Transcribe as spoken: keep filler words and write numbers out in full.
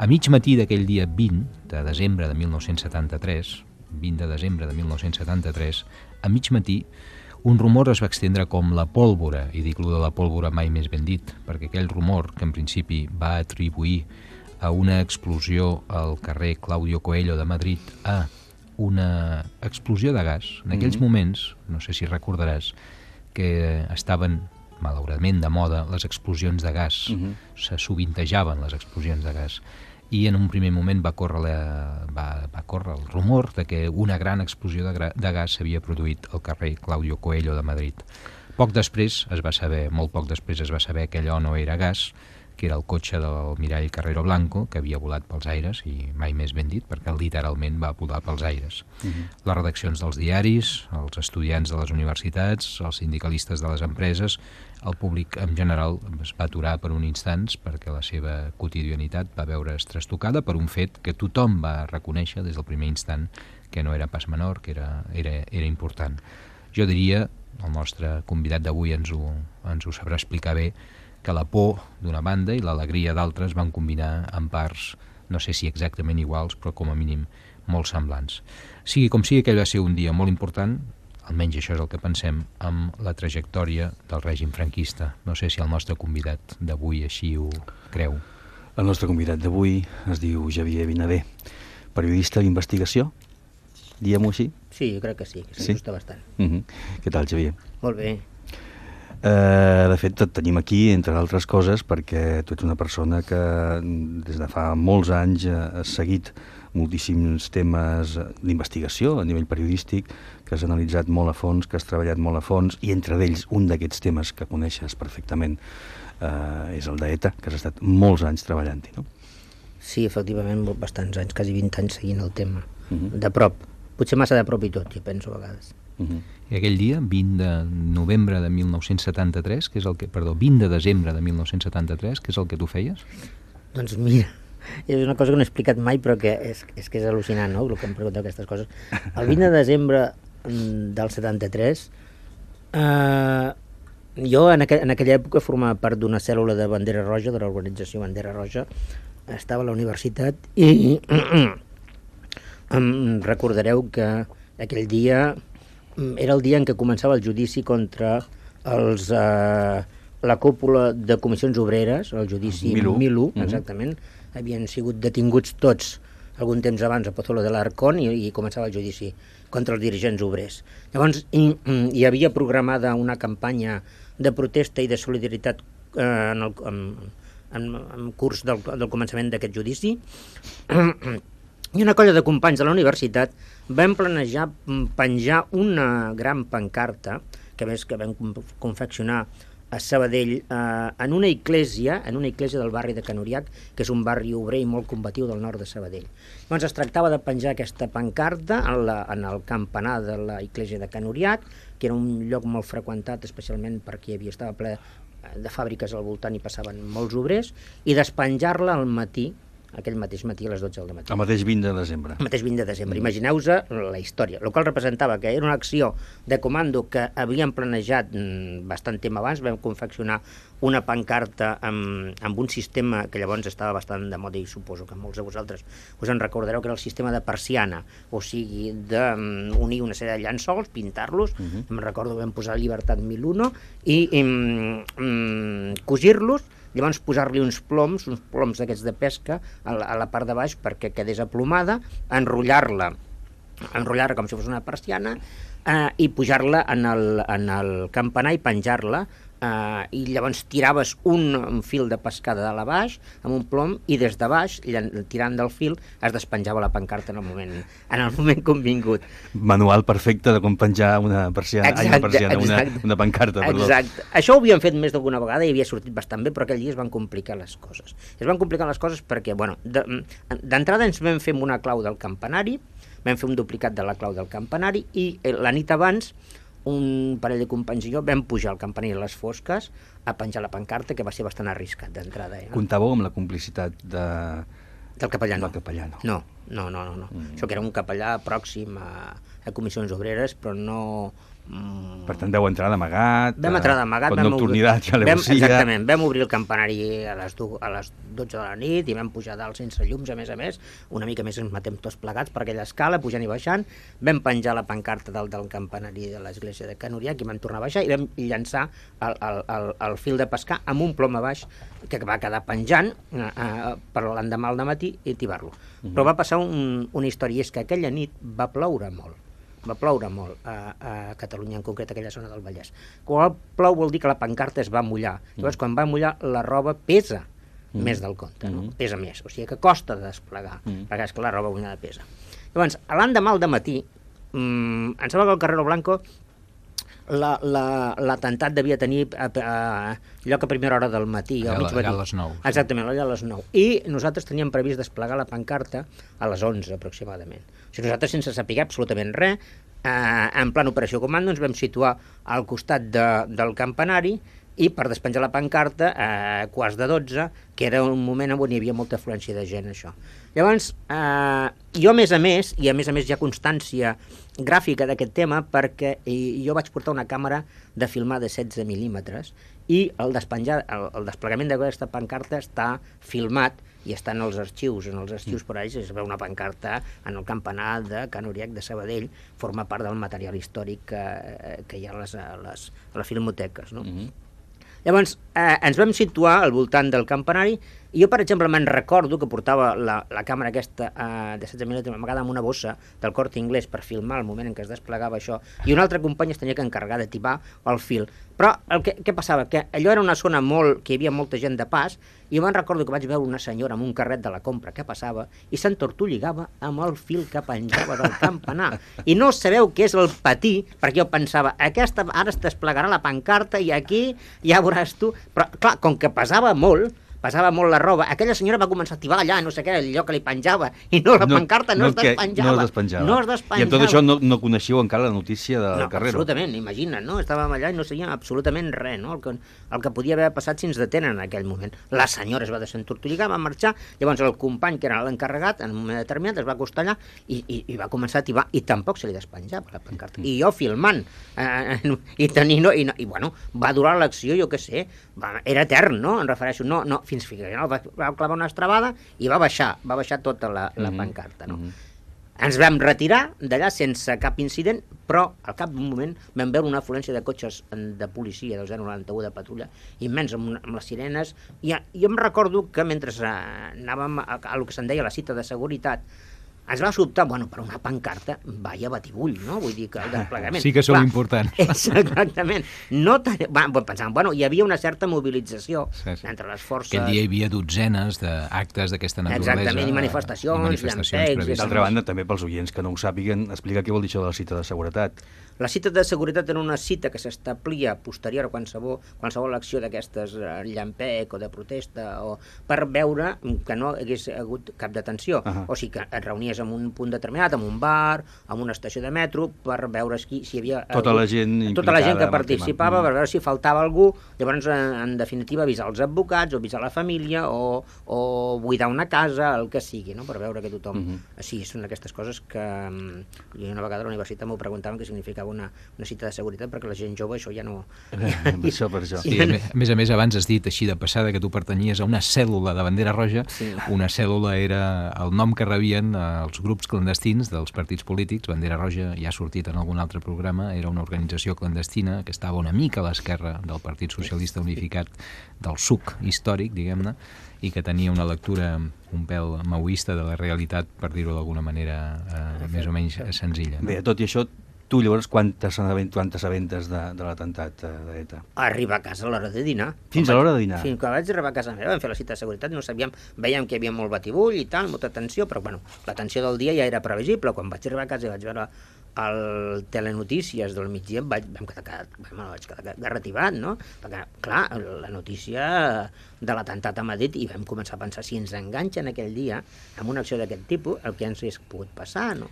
A mig matí d'aquell dia vint de desembre de mil nou-cents setanta-tres, vint de desembre de mil nou-cents setanta-tres, a mig matí, un rumor es va extendre com la pólvora, i dic lo de la pólvora mai més ben dit, perquè aquell rumor, que en principi va atribuir a una explosió al carrer Claudio Coelho de Madrid, a una explosió de gas. En aquells mm-hmm. moments, no sé si recordaràs, que estaven, malauradament, de moda les explosions de gas. Mm-hmm. Se sovintejaven les explosions de gas. I en un primer moment va córrer, la, va, va córrer el rumor de que una gran explosió de, gra, de gas s'havia produït al carrer Claudio Coelho de Madrid. Poc després es va saber, molt poc després es va saber que allò no era gas, que era el cotxe del mirall Carrero Blanco, que havia volat pels aires, i mai més ben dit, perquè literalment va volar pels aires. Uh-huh. Les redaccions dels diaris, els estudiants de les universitats, els sindicalistes de les empreses, el públic en general es va aturar per un instants perquè la seva quotidianitat va veure's trastocada per un fet que tothom va reconèixer des del primer instant que no era pas menor, que era, era, era important. Jo diria, el nostre convidat d'avui ens ho, ens ho sabrà explicar bé, que la por d'una banda i l'alegria d'altres van combinar en parts, no sé si exactament iguals, però com a mínim molt semblants. Sigui com sigui, aquell va ser un dia molt important, almenys això és el que pensem, amb la trajectòria del règim franquista. No sé si el nostre convidat d'avui així ho creu. El nostre convidat d'avui es diu Xavier Vinader, periodista d'investigació, diguem-ho així? Sí, jo crec que sí, que s'ajusta sí? bastant. Uh-huh. Què tal, Xavier? Molt bé. Uh, de fet, et tenim aquí, entre altres coses, perquè tu ets una persona que des de fa molts anys has seguit moltíssims temes d'investigació a nivell periodístic, que has analitzat molt a fons, que has treballat molt a fons, i entre d'ells un d'aquests temes que coneixes perfectament uh, és el d'ETA, que has estat molts anys treballant-hi, no? Sí, efectivament, bastants anys, quasi vint anys seguint el tema, uh-huh. de prop. Potser massa de prop i tot, jo penso a vegades. Uh-huh. I aquell dia, vint de novembre de mil nou-cents setanta-tres, que és el que, perdó, vint de desembre de mil nou-cents setanta-tres, que és el que tu feies? Doncs mira, és una cosa que no he explicat mai, però que és, és que és al·lucinant, no?, el que em pregunteu aquestes coses. El vint de desembre del setanta-tres, eh, jo en, aqu en aquella època formava part d'una cèl·lula de Bandera Roja, de l'organització Bandera Roja, estava a la universitat i em recordareu que aquell dia era el dia en què començava el judici contra els, eh, la cúpula de comissions obreres, el judici Milú, Milú exactament. Uh-huh. Havien sigut detinguts tots algun temps abans a Pozuelo de l'Arcón i, i començava el judici contra els dirigents obrers. Llavors hi, hi havia programada una campanya de protesta i de solidaritat eh, en, el, en, en, en curs del, del començament d'aquest judici. I una colla de companys de la universitat vam planejar penjar una gran pancarta, que més que vam confeccionar a Sabadell, eh, en una església, en una església del barri de Can Uriach, que és un barri obrer i molt combatiu del nord de Sabadell. Llavors es tractava de penjar aquesta pancarta en, la, en el campanar de la església de Can Uriach, que era un lloc molt freqüentat, especialment perquè hi havia, estava ple de fàbriques al voltant i passaven molts obrers, i despenjar-la al matí, aquell mateix matí a les dotze del matí. El mateix vint de desembre. El mateix vint de desembre. Mm. Imagineu-vos la història, el qual representava que era una acció de comando que havíem planejat bastant temps abans. Vam confeccionar una pancarta amb, amb un sistema que llavors estava bastant de moda i suposo que molts de vosaltres us en recordareu, que era el sistema de persiana, o sigui, d'unir una sèrie de llençols, pintar-los, mm-hmm. em recordo que vam posar Llibertat mil u i mm, mm, cosir-los, llavors posar-li uns ploms, uns ploms d'aquests de pesca a la, a la part de baix perquè quedés aplomada, enrotllar-la, enrotllar-la com si fos una persiana eh, i pujar-la en el, en el campanar i penjar-la, eh, i llavors tiraves un, un fil de pescada de la baix amb un plom i des de baix, tirant del fil, es despenjava la pancarta en el moment, en el moment convingut. Manual perfecte de com penjar una persiana, exacte, ai, una, persiana una, una pancarta. Perdó. Exacte. Això ho havíem fet més d'alguna vegada i havia sortit bastant bé, però aquell dia es van complicar les coses. Es van complicar les coses perquè, bueno, d'entrada ens vam fer una clau del campanari, vam fer un duplicat de la clau del campanari i la nit abans un parell de companys i jo vam pujar al campanar a les fosques a penjar la pancarta, que va ser bastant arriscat d'entrada. Eh? Comptàveu amb la complicitat de... del capellà, no. Del capellà, no. No, no, no, no. no. Mm. Això que era un capellà pròxim a, a comissions obreres, però no, Mm, per tant, deu entrar d'amagat, vam entrar d'amagat, con nocturnitat i alevosía. Exactament, vam obrir el campanari a les, a les dotze de la nit i vam pujar dalt sense llums, a més a més, una mica més ens matem tots plegats per aquella escala, pujant i baixant, vam penjar la pancarta dalt del campanari de l'església de Can Uriac i vam tornar a baixar i vam llançar el, el, el, el fil de pescar amb un plom a baix que va quedar penjant eh, eh, per l'endemà al matí i tibar-lo. Uh-huh. Però va passar un, una història, és que aquella nit va ploure molt. Va ploure molt a, a Catalunya, en concret a aquella zona del Vallès. Quan plou vol dir que la pancarta es va mullar. Llavors, quan va mullar, la roba pesa mm. més del compte, no? Mm. Pesa més. O sigui que costa de desplegar, mm. perquè és que la roba mullada pesa. Llavors, l'endemà al dematí, mmm, em sembla que al Carrero Blanco l'atemptat devia tenir a, a, lloc a primera hora del matí, allà, al mig matí. Allà a les nou. Exactament, allà a les nou. I nosaltres teníem previst desplegar la pancarta a les onze aproximadament. O sigui, nosaltres, sense saber absolutament res, eh, en plan operació comando, ens vam situar al costat de, del campanari i per despenjar la pancarta a eh, quarts de dotze, que era un moment on hi havia molta afluència de gent, això. Llavors, eh, jo a més a més, i a més a més hi ha constància gràfica d'aquest tema, perquè jo vaig portar una càmera de filmar de setze mil·límetres i el, despenjar, el, el desplegament d'aquesta pancarta està filmat i està en els arxius, en els arxius per ells, es veu una pancarta en el campanar de Can Uriac de Sabadell, forma part del material històric que, que hi ha a les, a les, a les filmoteques, no? Mm-hmm. Llavors, eh, ens vam situar al voltant del campanari i jo, per exemple, me'n recordo que portava la, la càmera aquesta eh, de setze mil·límetres amagada amb una bossa del Corte Inglés per filmar el moment en què es desplegava això, i un altre company es tenia que encarregar de tibar el fil. Però el que, què passava? Que allò era una zona molt, que hi havia molta gent de pas, i jo me'n recordo que vaig veure una senyora amb un carret de la compra que passava i s'entortolligava amb el fil que penjava del campanar. I no sabeu què és el patir, perquè jo pensava, aquesta ara es desplegarà la pancarta i aquí ja veuràs tu. Però, clar, com que pesava molt, pesava molt la roba, aquella senyora va començar a tibar allà, no sé què, el lloc que li penjava, i no, la no, pancarta no, no es despenjava. No es despenjava. No es despenjava. I amb tot això no, no coneixíeu encara la notícia del no, Carrero. Absolutament, imagina't, no? Estàvem allà i no sabíem absolutament res, no? El que, el que podia haver passat si ens detenen en aquell moment. La senyora es va desentortolligar, va marxar, llavors el company, que era l'encarregat, en un moment determinat es va acostar allà i, i, i va començar a tibar, i tampoc se li despenjava la pancarta. I jo filmant, eh, i tenint, no, i, no, i bueno, va durar l'acció, jo què sé, va, era etern, no? Em refereixo, no, no, fins que no, va, va clavar una estrabada i va baixar, va baixar tota la, la mm-hmm. pancarta, no? Mm-hmm. Ens vam retirar d'allà sense cap incident, però al cap d'un moment vam veure una afluència de cotxes de policia del zero noranta u de patrulla immens amb, una, amb les sirenes, i jo em recordo que mentre anàvem a, a, a el que se'n deia la cita de seguretat, ens va sobtar, bueno, per una pancarta, vaya batibull, no? Vull dir que el desplegament... Sí que són importants. Exactament. No ten... va, pensàvem, bueno, hi havia una certa mobilització sí, sí. entre les forces... Aquell dia hi havia dotzenes d'actes d'aquesta naturalesa. Exactament, i manifestacions, i manifestacions llampecs... D'altra banda, també pels oients que no ho sàpiguen, explica què vol dir això de la cita de seguretat. La cita de seguretat era una cita que s'establia posterior a qualsevol, qualsevol acció d'aquestes llampec o de protesta, o per veure que no hagués hagut cap detenció. Uh-huh. O sigui que et reunies en un punt determinat, en un bar, en una estació de metro, per veure si, si hi havia... Tota algú, la gent tota la gent que participava, per veure si faltava algú, llavors, en, en definitiva, avisar els advocats, o avisar la família, o, o buidar una casa, el que sigui, no? Per veure que tothom... Uh-huh. Sí, són aquestes coses que... I una vegada a la universitat m'ho preguntaven què significava una, una cita de seguretat, perquè la gent jove això ja no... Ja, això per això. Sí, a més a més, abans has dit així de passada que tu pertanyies a una cèl·lula de bandera roja. Sí. Una cèl·lula era el nom que rebien els grups clandestins dels partits polítics. Bandera Roja ja ha sortit en algun altre programa, era una organització clandestina que estava una mica a l'esquerra del Partit Socialista Unificat, del suc històric, diguem-ne, i que tenia una lectura un pèl maoista de la realitat, per dir-ho d'alguna manera eh, més o menys senzilla. No? Bé, tot i això, tu llavors quantes assabendes de, de l'atemptat d'ETA? Arribar a casa a l'hora de dinar. Fins a l'hora de dinar? Fins que vaig arribar a casa meva, vam fer la cita de seguretat, no sabíem, veiem que hi havia molt batibull i tal, molta tensió, però bueno, la tensió del dia ja era previsible. Quan vaig arribar a casa i vaig veure el Telenotícies del migdia, vaig, vam quedar, vam, vaig quedar garrativat, no? Perquè, clar, la notícia de l'atemptat a Madrid, i vam començar a pensar si ens enganxen aquell dia amb una acció d'aquest tipus, el que ens hagués pogut passar, no?